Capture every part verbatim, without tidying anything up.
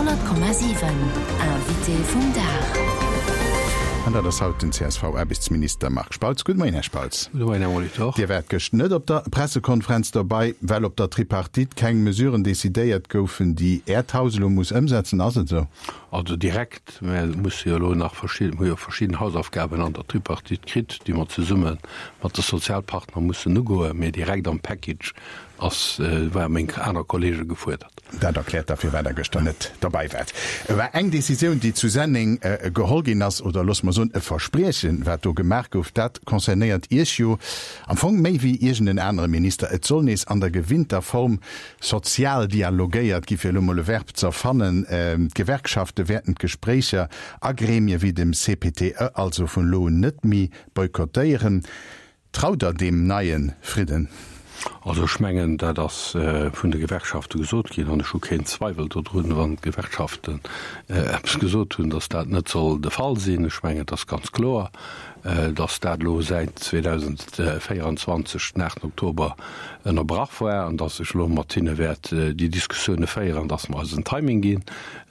Honnert Komma siwen, Invité vum Dag. An dat ass haut den C S V-Aarbechtsminister Marc Spautz. Gudde Moien, Här Spautz. Gudde Moien, Här Molitor. Dir waart gëscht net op der Pressekonferenz dobei, well op der Tripartite keng Mesuren decidéiert goufen, déi Äert Haus elo muss ëmsetzen. Ass et esou? Also direkt, mä et musse jo elo nach verschidden, hu jo verschidden Hausaufgaben an der Tripartite kritt, déi mer zesumme mat de Sozialpartner mussen ugoen, mä direkt am Package ass, ware meng aner Kollege gefuerdert. Dat erkläert da firwat Der gëschter net derbäi waart. War eng Decisioun, déi zu Senneng geholl ginn ass, oder loosse mer soen e Verspriechen, wat do gemaach gouf, dat concernéiert Iech jo am Fong méi wéi iergend en anere Minister. Et soll nees an der gewinnter Form sozial dialogéiert gi, fir elo mol e Verb ze erfannen. D'Gewerkschafte wäerten d'Gespréicher a Gremie wéi dem C P T E also vun elo un net méi boykottéieren. Traut Der deem neie Fridden? Also ech mengen, dat ass vun de Gewerkschafte gesot ginn, an ech hu keen Zweiwel dodrun, wann d'Gewerkschaften eppes gesot hunn, datt dat net soll de Fall sinn. Ech mengen, et ass ganz kloer, datt dat elo säit zweedausendvéieranzwanzeg den aachten Oktober ënnerbrach war an datt ech elo mat hinne wäert déi Diskussioune féieren, datt mer eis en Timing ginn,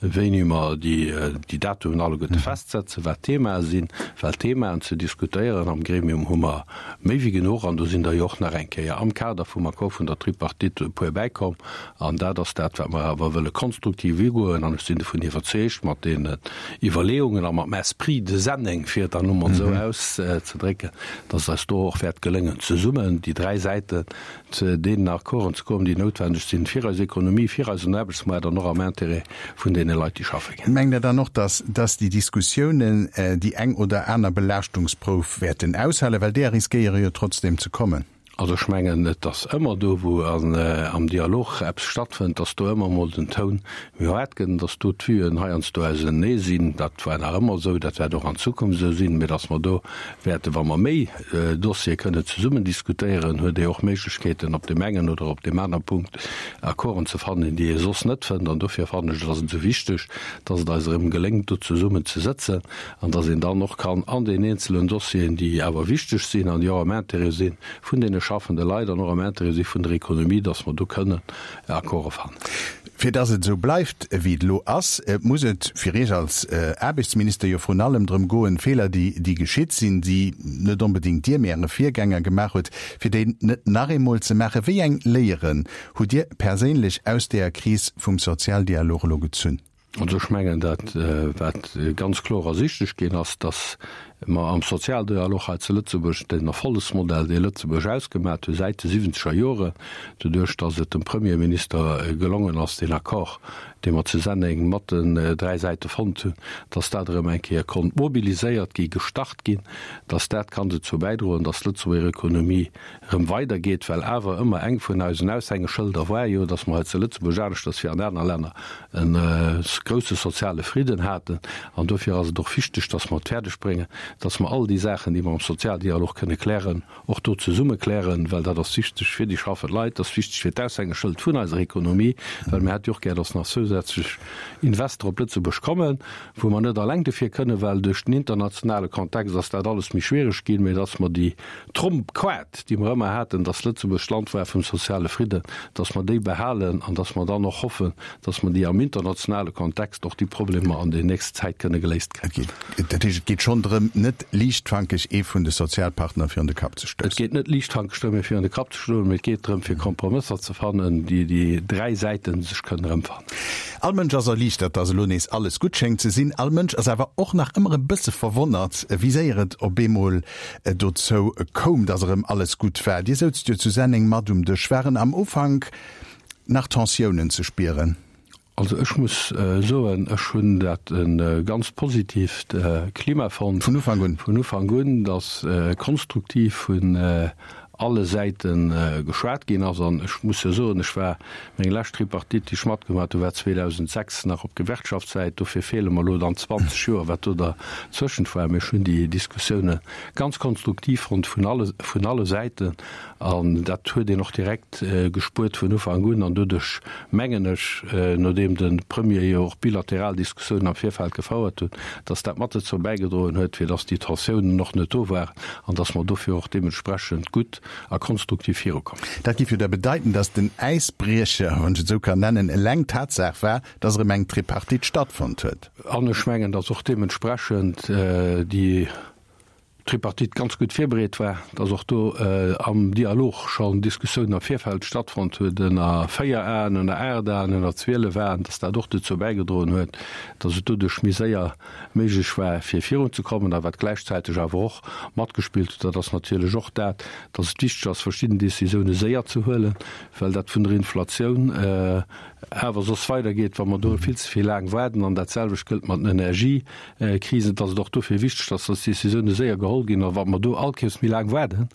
wéini mer déi Datumen alleguerte festsetzen, wat d'Themae sinn, well Themaen ze diskutéieren am Gremium hu mer méi wéi genuch an do sinn der jo och nach eng Kéier am Kader vum Accord vun der Tripartite e puer bäikomm. An dat ass dat, wat mer awer wëlle konstruktiv ugoen. An ech sinn dovun iwwerzeegt, mat deenen Iwwerleeungen a mam Esprit de Senneng, fir et dann elo mol esou auszedrécken, dass et eis do och wäert geléngen, zesummen, déi dräi Säiten, zu deenen Accorden ze kommen, déi noutwendeg sinn fir eis Ekonomie, fir eisen Aarbechtsmaart an och am Intérêt vun deene Leit, déi schaffe ginn. Mengt Der dann och, dass, dass déi Diskussiounen déi eng oder aner Belaaschtungsprouf wäerten aushalen, well deeër riskéiere jo trotzdem ze kommen? Also ech mengen, et ass ëmmer do, wou am Dialog eppes stattfënnt, dass do ëmmer emol den Toun méi haart gëtt, dass do d'Vuen heiansdo ausenee sinn. Dat war nach ëmmer esou, dat wäert och an Zukunft esou sinn, mä dass mer do wäerten, wa mer méi Dossiere kënnen zesummen diskutéieren, huet ee och Méiglechkeeten, op deem engen oder op deem aner Punkt Accorden ze fannen, déi ee soss net fënnt. An dofir fannen ech, et ass esou wichteg, dass et eis erëm geléngt, do zesummen ze sëtzen an dass een dann och kann an den eenzelen Dossieren, déi awer wichteg sinn an déi och am Intérêt si vun deene schaffende Leit an och am Intérêt si vun der Ekonomie, dass mer do kënnen Accorde fannen. Fir dass et esou bleift, wéi et elo ass, muss et fir Iech als Aarbechtsminister jo vrun allem drëm goen, Feeler, déi, déi geschitt sinn, déi net onbedéngt Dir, mee Äre Virgänger gemaach huet, fir déi net nach eemol ze maachen. Wéi eng Léieren hutt Dir perséinlech aus deeër Kris vum Sozialdialog elo gezunn? Also ech mengen, dat wat ganz kloer ersichtlech ginn ass, datt mer am Sozialdialog hei zu Lëtzebuerg den Erfollegsmodell, dee Lëtzebuerg ausgemat huet säit de siwwenzeger Joren, doduerch datt et dem Premierminister gelongen ass, deen Accord, dee mer zu Senneng mat den dräi Säite fonnt hunn, datt dat erëm eng Kéier konnt mobiliséiert gi, gestart ginn, datt dat kann dozou bäidroen, datt d'Lëtzebuerger Ekonomie erëm weidergeet, well awer ëmmer eng vun eisen Aushängeschëlder war jo, datt mer hei zu Lëtzebuerg, aneschters wéi an aner Länner, e grousse soziale Fridden haten. An dofir ass et och wichteg, datt mer et fäerdeg bréngen, datt mer all déi Saachen, déi mer am Sozialdialog kënne klären, och do zesumme klären, well dat ass wichteg fir déi schaffend Leit, dat ass wichteg fir d'Aushängeschëld vun eiser Ekonomie, well mir hätte jo och gär, datt nach zousätzlech Investor op Lëtzebuerg kommen, wou mer net alleng dofir kënnen, well duerch den internationale Kontext ass dat alles méi schwiereg ginn, mä datt mer déi Trompkaart, déi mer ëmmer haten, datt Lëtzebuerg d'Land war vum soziale Fridden, datt mer déi behalen an datt mer dann och hoffen, datt mer déi am internationale Kontext och déi Problemer an der nächster Zäit kënne geléist kréien. Dat heescht, et geet schonn drëm, net liichtfankeg ee vun de Sozialpartner virun de Kapp ze Et stoussen. geet net liichtfankeg drëm, ee virun de Kapp ze stoen, mee et geet drëm, fir Kompromësser ze fannen, déi déi dräi Säite sech kënnen erëmfannen. All Mënsch ass erliichtert, datt elo nees alles gutt schéngt ze sinn. All Mënsch ass awer och nach ëmmer e bësse verwonnert, wéi séier et op eemol dozou koum, datt erëm alles gutt war. Dir souzt jo zu Senneng mat um Dësch. Waren am Ufank nach Tensiounen ze spieren? Also ech muss soen, ech hunn dat e ganz positiivt Klima fonnt. Vun Ufank un? Vun Ufank un, datt konstruktiv vun alle Säite geschwat ginn ass. An ech muss jo soen, ech war, meng lescht Tripartite, déi ech matgemaach hunn, war zweedausendsechs nach op Gewerkschaftssäit. Dofir feele mer elo dann zwanzeg Joer, wat do derzwëschent war. Mee ech hunn déi Diskussioune ganz konstruktiv fonnt vun alle, vun alle Säiten. An dat huet een och direkt gespuert vun Ufank un. An doduerch, mengen ech, nodeem de Premier jo och bilateral Diskussiounen am Virfeld gefouert huet, dass dat mat dozou bäigedroen huet, fir dass déi Tensiounen och net do waren an dass mer dofir och deementsprechend gutt a konstruktiv virukomm. Dat géif jo da bedeiten, datt den Äisbriecher, wann ech et esou kann nennen, eleng d'Tatsaach war, datt erëm eng Tripartite stattfonnt huet. An ech mengen, datt och deementsprechend déi Tripartite ganz gutt virbereet war, datt och do am Dialog schonn Diskussiounen am Virfeld stattfonnt huet, ënner véier Aen, ënner aacht Aen, ënner zwielef Aen, datt dat och dozou bäigedroen huet, datt et doduerch méi séier méiglech war, fir virunzekommen. A wat gläichzäiteg awer och matgespillt huet, dat ass natierlech och dat, datt et wichteg ass, verschidden Décisioune séier ze huelen, well dat vun der Inflatioun awer soss weidergeet, wa mer do vill ze vill laang waarden. An dat selwecht gëllt mat den Energiekrisen. Et ass et och dofir wichteg, dass dës Décisioune séier geholl ginn. A wat mer do all Kéiers méi laang waarden,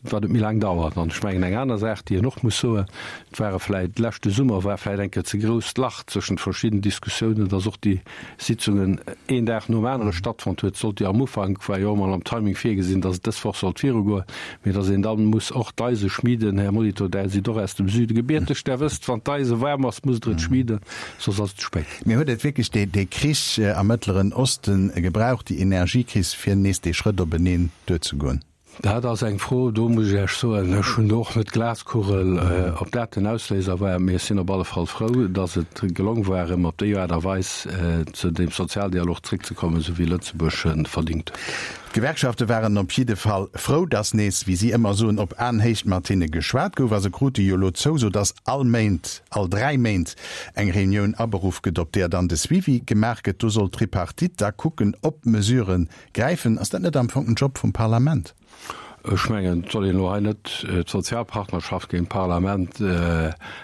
wat et méi laang dauert. An ech mengen, eng aner Saach, déi een och muss soen, et ware vläicht, leschte Summer war vläicht eng Kéier ze grousst Lach zwëschent verschidden Diskussiounen, dass och déi Sitzungen een Dag nom anere stattfonnt huet. Sollt jo am Ufank, war jo och emol am Timing virgesinn, dass et dës Woch sollt virugoen, mee dass een dann muss och d'Eise schmieden. Här Molitor, Der sidd och aus dem Süde gebierteg, Der wësst, wann d'Eise waarm ass, musst Der et schmieden, soss ass et ze spéit. Mee huet et wierklech dee Krich am Mëttleren Osten gebraucht, déi Energiekris, fir nees dee Schrëtt openeen duerzegoen? Dat ass eng Fro, do muss ech Iech soen, ech hunn do och net d'Glaskugel, ob dat den Ausléiser war. Mee ech sinn op alle Fall frou, datt et gelong war, erëm op déi Aart a Weis zu deem Sozialdialog zréckzekommen, esou wéi Lëtzebuerg e verdingt huet. D'Gewerkschafte waren op jidde Fall frou, datt nees, wéi si ëmmer soen, op Aenhéicht mat hinne geschwat gouf. A se krute jo elo d'Zouso, datt all Méint, all dräi Méint eng Reunioun aberuff gëtt, op deeër dann de Suivi gemaach gëtt. Do soll d'Tripartite da kucken, ob Mesurë gräifen. Ass dat net am Fong den Job vum Parlament? Ech mengen, et soll een elo hei net d'Sozialpartnerschaft géint d'Parlament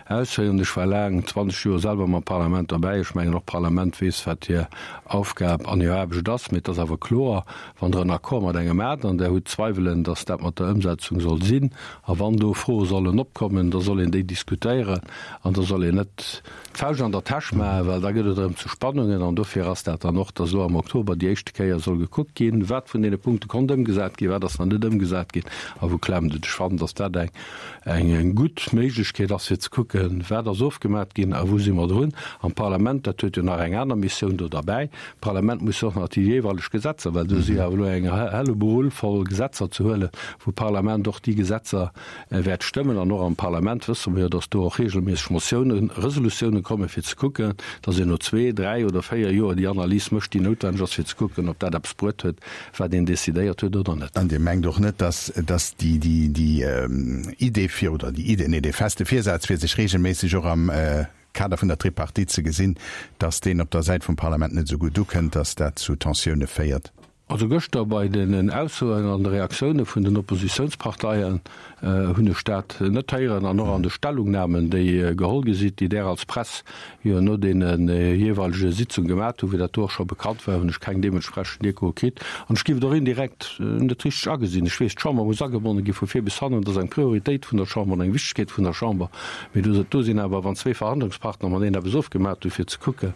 ausféieren. Ech war laang, zwanzeg Joer, selwer mam Parlament derbäi. Ech mengen, och d'Parlament weess, wat hir Aufgab an hir Aarbecht ass. Mee et ass awer kloer, wann Der en Accord mat engem hat an Der hutt Zweiwelen, dass dat mat der Ëmsetzung soll sinn, a wann do Froe sollen opkommen, da soll een déi diskutéieren an da soll een net d'Fauscht an der Täsch maachen, well da gëtt et erëm zu Spannungen. An dofir ass dat dann och, dass elo am Oktober déi éischte Kéier soll gekuckt ginn, wat vun deene Punkte konnt ëmgesat ginn, wat ass nach net ëmgesat ginn a wou klemmt et. Ech fannen, dass dat eng eng gutt Méiglechkeet ass, fir ze kucken, wat ass ofgemat ginn a wou si mer drun. An d'Parlament, dat huet jo nach eng aner Missioun do derbäi, d'Parlament muss jo och nach déi jeeweileg Gesetzer, well do si jo awer elo eng Hellebrull voll Gesetzer ze huelen, wou d'Parlament och déi Gesetzer wäert stëmmen. An och am Parlament wësse mer jo, dass do och regelméisseg Motiounen, Resolutiounen kommen, fir ze kucken, dass een no zwee, dräi oder véier Joer déi Analys mécht, déi noutwenneg ass, fir ze kucken, ob dat eppes bruet huet, wat een decidéiert huet oder net. An Dir mengt och net, dass, dass déi, déi, déi Idee fir, oder déi Idee, nee, dee feste Virsaz, fir sech regelméisseg och am Kader vun der Tripartite ze gesinn, dass deen op der Säit vum Parlament net esou gutt ukënnt, dass dat zu Tensioune féiert? Also gëschter bei den Aussoen an de Reaktioune vun den Oppositiounsparteien hunn ech dat net héieren an och an de Stellungnamen, déi geholl gi sinn, déi Där als Press jo no deene jeeweilege Sitzung gemat hunn, wéi dat do och scho bekannt war, hunn ech keng deementsprechend Echoe kritt. An ech géif et och indirekt net richteg agesinn. Ech weess, d'Chamber muss agebonne gi vu vir bis hannen, dat ass eng Prioritéit vun der Chamber an eng Wichtegkeet vun der Chamber. Mee do sinn awer, wann zwee Verhandlungspartner mateneen eppes ofgemat hunn, fir ze kucken,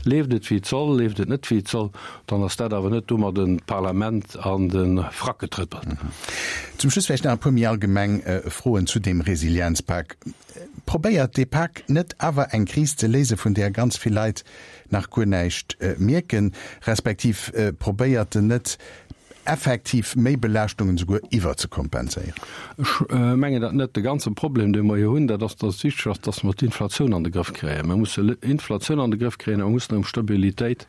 Leeft et wéi et soll, leeft et net wéi et soll, dann ass dat awer net domadden d'Parlament an de Frack getrëppelt. Zum Schluss vläicht nach e puer méi allgemeng Froen zu deem Resilienzpak. Probéiert dee Pak net awer eng Kris ze léisen, vun där ganz vill Leit nach guer näischt mierken, respektiv probéiert en net effektiv méi Belaaschtungen esouguer iwwerzekompenséieren? Ech mengen dat net. De ganze Problem, dee mer jo hunn, dat ass, datt et wichteg ass, datt mer d'Inflatioun an de Grëff kréien. Mer musse Inflatioun an de Grëff kréien a mer mussen erëm Stabilitéit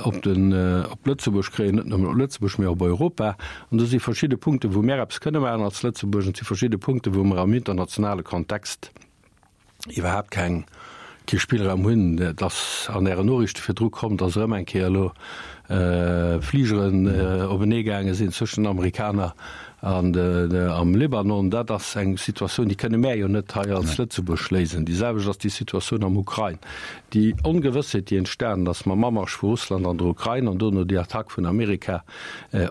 op den, op Lëtzebuerg kréien, net nëmmen op Lëtzebuerg, mä op Europa. An do si verschidde Punkten, wou mer eppes kënne maachen als Lëtzebuerg, an et si verschidde Punkten, wou mer am internationale Kontext iwwerhaapt keng, kee Spillraum hunn. Et ass an Ären Noriichte virdru komm, dass erëm eng Kéier elo Fligeren openee gaange sinn zwëschen den Amerikaner an am Libanon. Dat ass eng Situatioun, déi kënne mär jo net hei als Lëtzebuerg léisen. Déi selwecht ass déi Situatioun am Ukrain. Déi Ongewëssheet, déi entstanen ass mam Amarsch vu Russland an der Ukrain an dono déi Attack vun Amerika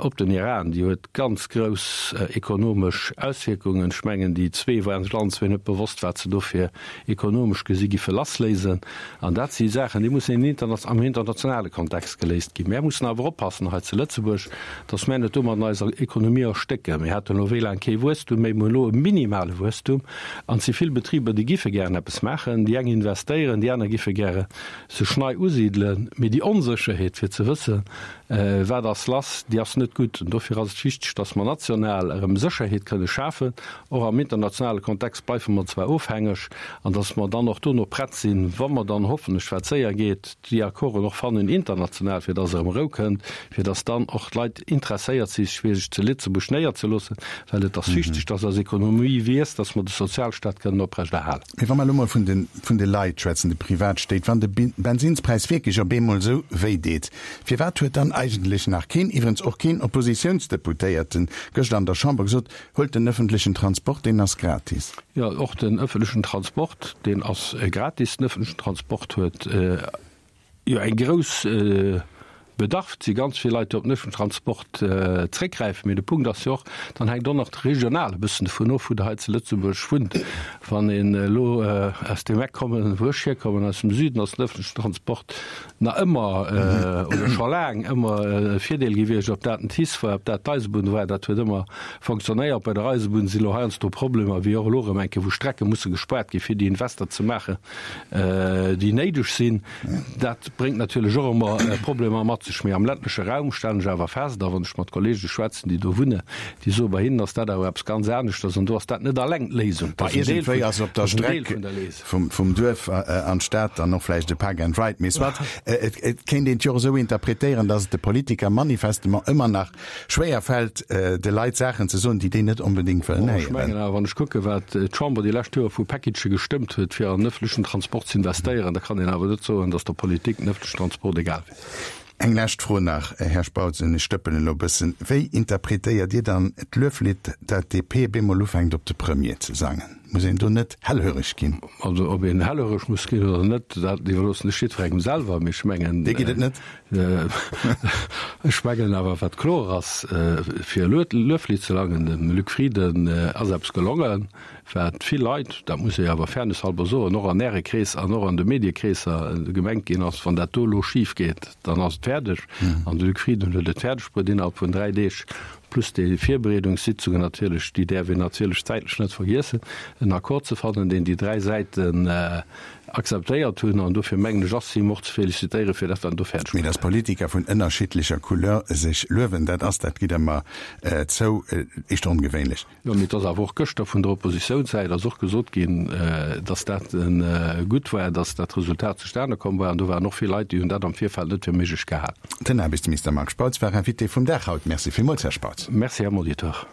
op den Iran, déi huet ganz grouss ekonomesch Auswierkungen. Ech mengen, déi zwee waren sech allen zwee net bewosst, wat se do fir ekonomesch gesi giffe lassléisen. An dat si Saachen, déi mussen am internationale Kontext geléist ginn. Mär mussen awer oppassen hei zu Lëtzebuerg, datt mär net domadden eiser Ekonomie erstécken. Mir haten elo wéi laang kee Wuesstum méi, mir hunn elo e minimale Wuesstum an et si vill Betriber, déi giffe gären eppes maachen. Déi eng investéieren, déi aner giffe gäre sech nei usidelen, mee déi Onsécherheet fir ze wëssen, wat ass lass, déi ass net gutt. An dofir ass et wichteg, datt mer national erëm Sécherheet kënne schafen. Och am internationale Kontext bleife mer zwar ofhängeg, an datt mer dann och dono prett sinn, wa mer dann hoffentlech, wat séier geet, déi Accorden och fannen international, fir datt erëm Rou kënnt, fir datt dann och d'Leit interesséiert si fir sech zu Lëtzebuerg néierzeloossen, well et ass wichteg, datt eis Ekonomie wiisst, datt mer de Sozialstaat kënnen oprechterhalen. Mee wa mer elo mol vun de, vun de Leit schwätzen, de Privatstéit, wann de Bensinspräis wierklech op eemol esou wéi deet, firwat huet dann eigentlech nach keen, iwwerens och keen Oppositiounsdeputéierten, gëscht an der Chamber gesot, huelt den öffentlechen Transport, deen ass gratis? Jo, och den öffentlechen Transport, deen ass gratis. Den öffentlechen Transport huet jo eng grouss Bedarf. Et si ganz vill Leit, déi op den öffentlechen Transport zréckgräifen. Mee de Punkt ass jo och, dann hänkt och nach de regional e bëssen dovun of, wou Der hei zu Lëtzebuerg wunnt. Wann een elo aus deem Eck kommen, wou ech hierkommen, aus dem Süden, ass den öffentlechen Transport nach ëmmer oder scho laang ëmmer e Virdeel gewiescht, ob dat den TICE war, ob dat d'Eisebunn war, dat huet ëmmer fonctionnéiert. Bei der Eisebunn si elo heiansdo Problemer, wéi och elo erëm eng Kéier, wou Strecke musse gespaart gi fir déi Invester ze maachen, déi néideg sinn. Dat bréngt natierlech och ëmmer Problemer mat sech. Mee am ländleche Raum stellen ech awer fest, a wann ech mat Kollege schwätzen, déi do wunnen, déi soen, bei hinnen ass dat awer eppes ganz aneschters an do ass dat net alleng d'Léisung, dat ass en Deel vun, ass op der Streck vum Duerf an d'Stad dann och vläicht e Park and Ride. Mee soit, et kéint een et jo och esou interpretéieren, datt et de Politiker manifestement ëmmer nach schwéier fält, de Leit Saachen ze soen, déi déi net onbedéngt wëllen héieren. Ech mengen awer, wann ech kucken, wat d'Chamber déi lescht Joer vu Packagë gestëmmt huet, fir an den ëffentlechen Transport ze investéieren, da kann een awer net soen, datt der Politik den ëffentlechen Transport egal wier. Eng lescht Fro nach, Här Spautz, an ech stëppelen elo e bëssen, Wéi interpretéiert Dir dann d'Lueflidd, dat d'DP bemol ufänkt op de Premier ze sangen? Muss een do net hellhöreg ginn? Also ob een hellhöreg muss ginn oder net, dat iwwerloossen ech jiddwerengem selwer, mee ech mengen. Dir gitt et net? Ech mengen awer, wat kloer ass, fir e Lueflidd ze sangen, dem Luc Frieden ass eppes gelongen, wat vill Leit, dat muss ee jo awer fairnesshalber soen, och an Äre Kreesser an och an de Mediekreesser gemengt ginn ass, wann dat do elo schif geet, dann ass et fäerdeg. An de Luc Frieden huet et fäerdeg bruet, innerhalb vun dräi Deeg, plus déi Virbereedungssitzungen natierlech, déi däerf een natierlech zäitlech net vergiessen, en Accord ze fannen, deen déi dräi Säiten akzeptéiert hunn. An dofir mengen ech, ass him och ze félicitéiere fir dat, wat en do fäerdeg Mee bruet dass huet. Politiker vun ënnerschiddlecher Couleur sech luewen, dat ass, dat gitt Der mer zou, éischter ongewéinlech. Jo, mee et ass awer och gëschter vun der Oppositiounssäit ass och gesot ginn, dass dat gutt war, dass dat Resultat zustane komm war. An do waren och vill Leit, déi hunn dat am Virfeld net fir méiglech gehal. Den Aarbechtsminister Marc Spautz war Invité vum Dag haut. Merci villmools, Här Spautz. Merci, Här Molitor.